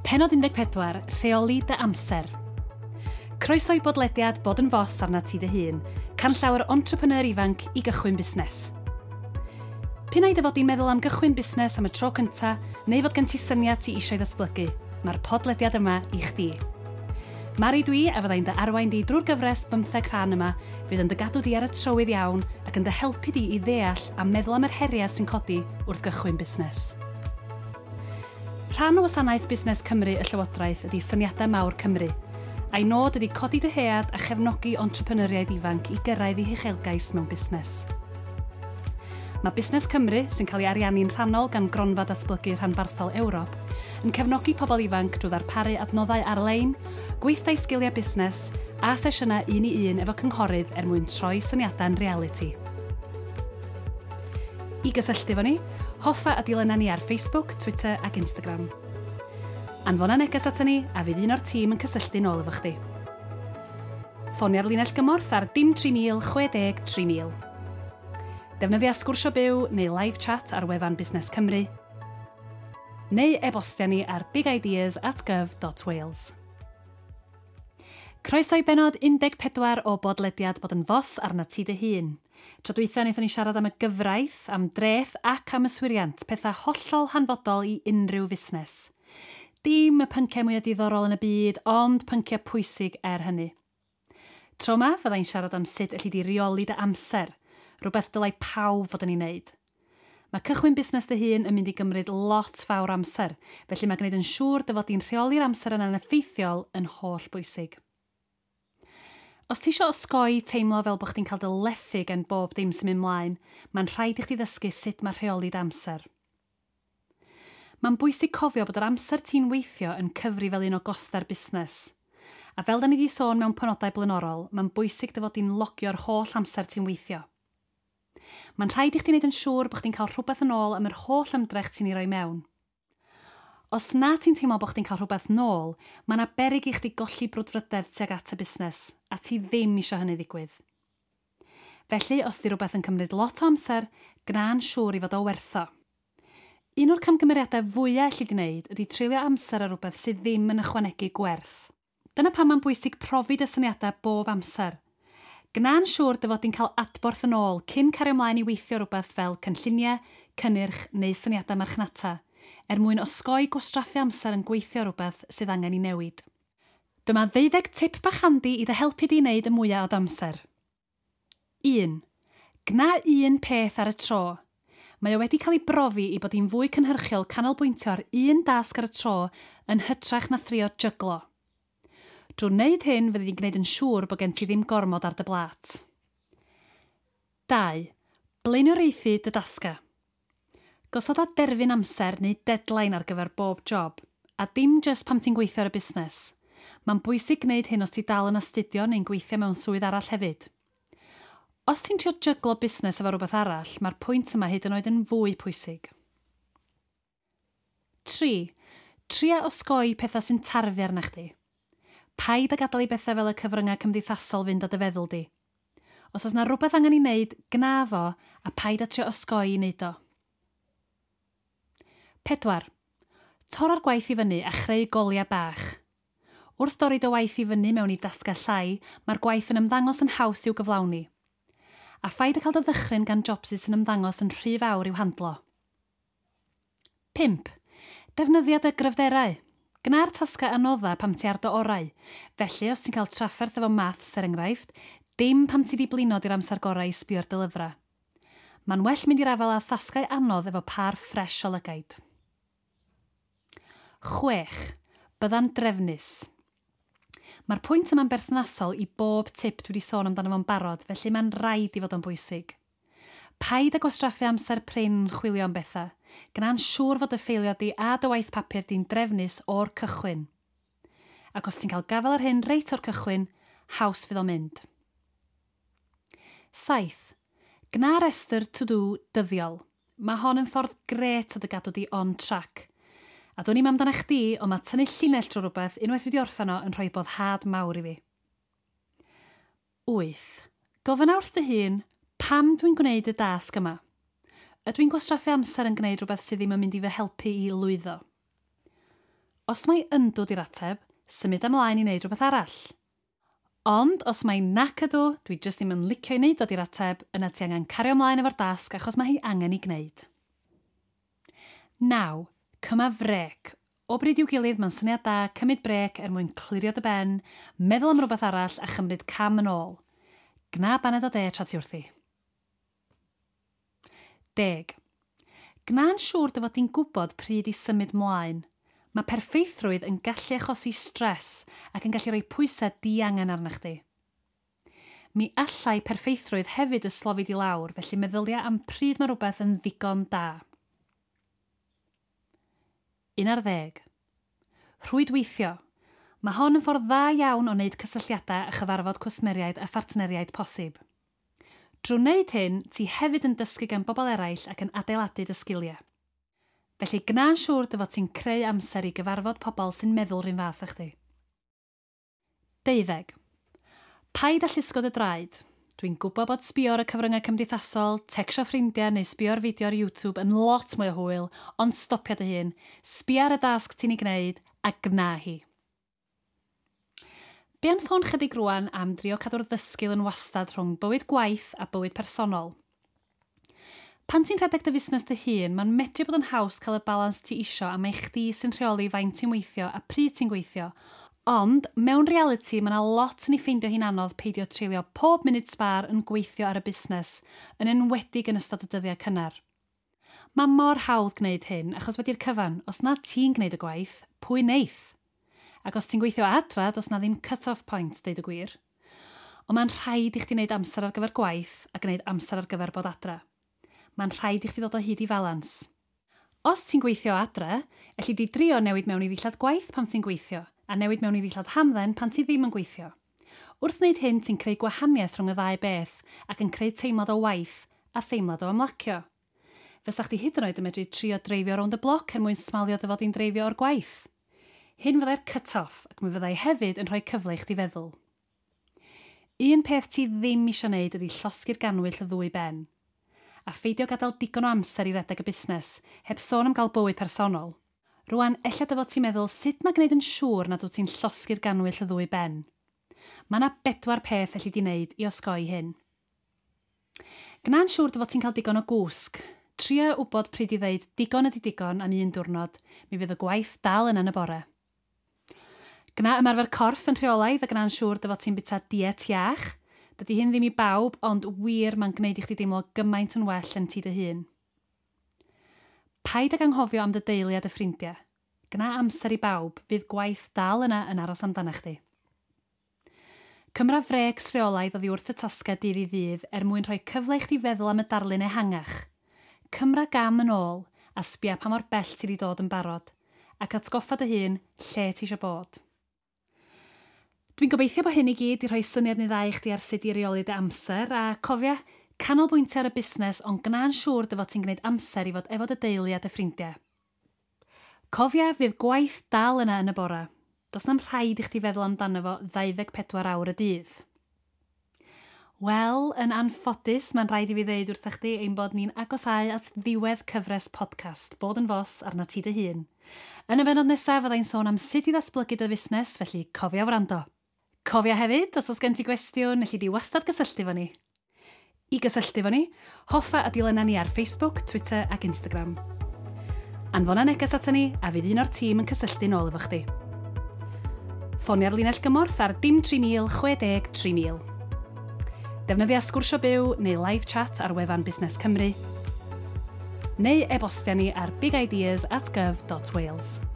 Pennod 14, Rheoli dy amser. Croeso i bodlediad Bod yn Fos arnat ti dy hun, canllaw yr entrepreneur ifanc i gychwyn busnes. P'un ai dy fod di'n meddwl am gychwyn busnes am y tro cynta, neu fod gen ti syniad ti eisiau ddatblygu, mae'r podlediad yma i chdi. Mari dwi, a fyddai'n dy arwain di drwy'r gyfres bymtheg rhan yma, fydd yn dy gadw di ar y trywydd iawn ac yn dy helpu di i ddeall a meddwl am yr heriau sy'n codi wrth gychwyn busnes. Rhan o wasanaeth Busnes Cymru y Llywodraeth ydy Syniadau Mawr Cymru, a'i nod ydy codi dyhead a chefnogi entrepreneuriaid ifanc i gyrraedd eu huchelgais mewn busnes. Mae Busnes Cymru, sy'n cael ei ariannu'n rhannol gan Gronfa Datblygu Rhanbarthol Ewrop, yn cefnogi pobl ifanc drwy ddarparu adnoddau ar-lein, gweithdai sgiliau busnes a sesiynau un i un efo cynghorydd er mwyn troi syniadau'n realiti. I gysylltu efo ni, hoffa a dilyna ni ar Facebook, Twitter ac Instagram. Anfona neges ata ni a fydd un o'r tîm yn cysylltu nôl efo chdi. Ffonia'r linell gymorth ar dim 3000 60 3000. Defnyddia Sgwrsio Byw neu live chat ar wefan Busnes Cymru, neu e-bostia ni ar bigideas@gov.wales. Croeso i bennod 14 o bodlediad Bod yn Fos arnat ti dy hun. Tro dwytha wnaethon ni siarad am y gyfraith, am dreth ac am yswiriant, pethau hollol hanfodol i unrhyw fusnes. Dim y pynciau mwyaf diddorol yn y byd, ond pynciau pwysig er hynny. Tro 'ma, fyddai'n siarad am sut elli di reoli dy amser, rhywbeth dylai pawb fod yn ei wneud. Mae cychwyn busnes dy hun yn mynd i gymryd lot fawr amser, felly mae gwneud yn siŵr dy fod di'n rheoli'r amser yna'n effeithiol yn holl bwysig. Os ti eisiau osgoi teimlo fel bod chdi'n cael dy lethu gan bob dim sy'n mynd mlaen, mae'n rhaid i chdi ddysgu sut mae rheoli dy amser. Mae'n bwysig cofio bod yr amser ti'n weithio yn cyfri fel un o gostau'r busnes. A fel da ni wedi sôn mewn penodau blaenorol, mae'n bwysig dy fod di'n logio'r holl amser ti'n weithio. Mae'n rhaid i chdi wneud yn siŵr bod chdi'n cael rhywbeth yn ôl am yr holl ymdrech ti'n ei roi mewn. Os na ti'n teimlo bod chdi'n cael rhywbeth nôl, mae yna beryg i chdi golli brwdfrydedd tuag at y busnes, a ti ddim eisiau hynny ddigwydd. Felly, os di rhywbeth yn cymryd lot o amser, gwna'n siŵr i fod o werth o. Un o'r camgymeriadau fwyaf elli di wneud ydy treulio amser ar rhywbeth sydd ddim yn ychwanegu gwerth. Dyna pam mae'n bwysig profi dy syniadau bob amser. Gwna'n siŵr dy fod di'n cael adborth yn ôl cyn cario ymlaen i weithio rhywbeth fel cynlluniau, cynnyrch neu syniadau marchnata, er mwyn osgoi gwastraffu amser yn gweithio rhywbeth sydd angen i newid. Dyma ddeuddeg tip bach handi i dy helpu di wneud y mwyaf o d'amser. 1. Gwna un peth ar y tro. Mae o wedi cael ei brofi i bod hi'n fwy cynhyrchiol canolbwyntio ar un dasg ar y tro yn hytrach na thrio jyglo. Drwy wneud hyn, fyddi di'n gwneud yn siŵr bod gen ti ddim gormod ar dy blât. 2. Blaenoriaethu dy dasgau. Gosoda derfyn amser neu deadline ar gyfer bob job, a dim jyst pam ti'n gweithio ar y busnes. Mae'n bwysig gwneud hyn os ti dal yn astudio neu'n gweithio mewn swydd arall hefyd. Os ti'n trio jyglo busnes efo rhywbeth arall, mae'r pwynt yma hyd yn oed yn fwy pwysig. 3. Tria osgoi pethau sy'n tarfu arna chdi. Paid â gadael i bethau fel y cyfryngau cymdeithasol fynd â dy feddwl di. Os oes 'na rywbeth angen ei wneud, gwna fo, a paid â trio osgoi i wneud o. 4. Torra'r gwaith i fyny a chreu goliau bach. Wrth dorri dy waith i fyny mewn i dasgau llai, mae'r gwaith yn ymddangos yn haws i'w gyflawni. A phaid â cael dy ddychryn gan jobsys sy'n ymddangos yn rhy fawr i'w handlo. 5. Defnyddia dy gryfderau. Gwna'r tasgau anodda pam ti ar dy orau. Felly, os ti'n cael trafferth efo maths, er enghraifft, dim pam ti 'di blino 'di'r amser gorau i sbio ar dy lyfrau. Mae'n well mynd i'r afael â thasgau anodd efo pâr ffresh o lygaid. 6. Bydda'n drefnus. Mae'r pwynt yma'n berthnasol i bob tip dwi 'di sôn amdano fo'n barod, felly mae'n rhaid i fod o'n bwysig. Paid â gwastraffu amser prin yn chwilio am bethau. Gwna'n siŵr fod dy ffeiliau di a dy waith papur di'n drefnus o'r cychwyn. Ac os ti'n cael gafael ar hyn reit o'r cychwyn, haws fydd o'n mynd. 7. Gwna restr to do dyddiol. Mae hon yn ffordd grêt o dy gadw di on track. A dwn i'm amdana chdi, ond mae tynnu llinell drwy rhywbeth unwaith dwi 'di orffen o yn rhoi boddhad mawr i fi. 8. Gofynna wrth dy hun, 'Pam dwi'n gwneud y dasg yma? Ydw i'n gwastraffu amser yn gwneud rhywbeth sydd ddim yn mynd i fy helpu i lwyddo? Os mai yndw 'di'r ateb, symud ymlaen i wneud rhywbeth arall. Ond os mai nac ydw, dwi jyst ddim yn licio i wneud o 'di'r ateb, yna ti angen cario ymlaen efo'r dasg achos mae hi angen ei gwneud. 9. Cyma frêc. O bryd i'w gilydd mae'n syniad da cymryd brêc er mwyn clirio dy ben, meddwl am rywbeth arall a chymryd cam yn ôl. Gwna baned o de tra ti wrthi. 10. Gwna'n siŵr dy fod di'n gwybod pryd i symud mlaen. Mae perffeithrwydd yn gallu achosi stres ac yn gallu rhoi pwysau diangen arna chdi. Mi allai perffeithrwydd hefyd yslofi di lawr, felly meddylia am pryd mae rhywbeth yn ddigon da. 11. Rhwydweithio. Mae hon yn ffordd dda iawn o wneud cysylltiadau a chyfarfod cwsmeriaid a phartneriaid posib. Drwy wneud hyn, ti hefyd yn dysgu gan bobl eraill ac yn adeiladu dy sgiliau. Felly gwna'n siŵr dy fod ti'n creu amser i gyfarfod pobl sy'n meddwl rhywun fath â chdi. 12. Paid â llusgo dy draed. Dwi'n gwybod bod sbio ar y cyfryngau cymdeithasol, tecsio ffrindiau neu sbio ar fideo ar YouTube yn lot mwy o hwyl, ond stopia dy hun, sbia ar y dasg ti'n ei gwneud a gwna hi. Be am sôn chydig rwan am drio cadw'r ddysgl yn wastad rhwng bywyd gwaith a bywyd personol? Pan ti'n rhedeg dy fusnes dy hun, mae'n medru bod yn haws cael y balans ti isio am mai chdi sy'n rheoli faint ti'n weithio a pryd ti'n gweithio. Ond, mewn realiti, mae yna lot yn ei ffeindio hi'n anodd peidio treulio pob munud sbâr yn gweithio ar y busnes, yn enwedig yn ystod y dyddiau cynnar. Mae mor hawdd gwneud hyn, achos wedi'r cyfan, os na ti'n gwneud y gwaith, pwy neith? Ac os ti'n gweithio adra, does na ddim cut-off point, deud y gwir. Ond mae'n rhaid i chdi wneud amser ar gyfer gwaith a gwneud amser ar gyfer bod adra. Mae'n rhaid i chdi ddod o hyd i falans. Os ti'n gweithio adra, elli di drio newid mewn i ddillad gwaith pan ti'n gweithio, a newid mewn i ddillad hamdden pan ti ddim yn gweithio. Wrth wneud hyn, ti'n creu gwahaniaeth rhwng y ddau beth ac yn creu teimlad o waith a theimlad o ymlacio. Fysa chdi hyd yn oed yn medru trio dreifio rownd y bloc er mwyn smalio dy fod i'n dreifio o'r gwaith. Hyn fyddai'r cut-off ac mi fyddai hefyd yn rhoi cyfle i chdi feddwl. Un peth ti ddim eisiau wneud ydy llosgi'r ganwyll y ddwy ben. A pheidio gadael digon o amser i redeg y busnes, heb sôn am gael bywyd personol. Rwan, ella dy fod ti'n meddwl sut mae gwneud yn siŵr nad wyt ti'n llosgi'r ganwyll y ddwy ben. Mae yna bedwar peth elli di wneud i osgoi hyn. Gwna'n siŵr dy fod ti'n cael digon o gwsg. Tria wybod pryd i ddeud digon ydy digon am un diwrnod, mi fydd y gwaith dal yna yn y bore. Gwna ymarfer corff yn rheolaidd a gwna'n siŵr dy fod ti'n bwyta diet iach. Dydy hyn ddim i bawb, ond wir mae'n gwneud i chdi deimlo gymaint yn well yn ti dy hun. Paid ag anghofio am dy deulu a dy ffrindiau. Gwna amser i bawb, fydd gwaith dal yna yn aros amdana chdi. Cymra frecs rheolaidd oddi wrth y tasgau dydd i ddydd er mwyn rhoi cyfle i chdi feddwl am y darlun ehangach. Cymra gam yn ôl a sbia pa mor bell ti wedi dod yn barod, ac atgoffa dy hun lle ti eisiau bod. Dwi'n gobeithio bod hyn i gyd i rhoi syniad neu ddau i chdi ar sut i reoli dy amser, a cofia, canolbwyntio ar y busnes ond gwna'n siŵr dy fod ti'n gwneud amser i fod efo dy deulu a dy ffrindiau. Cofia, fydd gwaith dal yna yn y bora. Does na'm rhaid i chdi feddwl amdano fo 24 awr y dydd. Wel, yn anffodus, mae'n rhaid i fi ddeud wrthych chdi ein bod ni'n agosáu at ddiwedd cyfres podcast Bod yn Fos arna ti dy hun. Yn y bennod nesaf fyddai'n sôn am sut i ddatblygu dy fusnes, felly cofia wrando. Cofia hefyd, os oes gen ti gwestiwn, elli di wastad gysylltu fo ni. I gysylltu fo ni, hoffa a dilyna ni ar Facebook, Twitter ac Instagram. Anfona neges ata ni a fydd un o'r tîm yn cysylltu nôl efo chdi. Ffonia'r linell gymorth ar dim 3000 60 3000. Defnyddia sgwrsio byw neu live chat ar wefan Busnes Cymru. Neu e-bostia ni ar bigideas@gov.wales.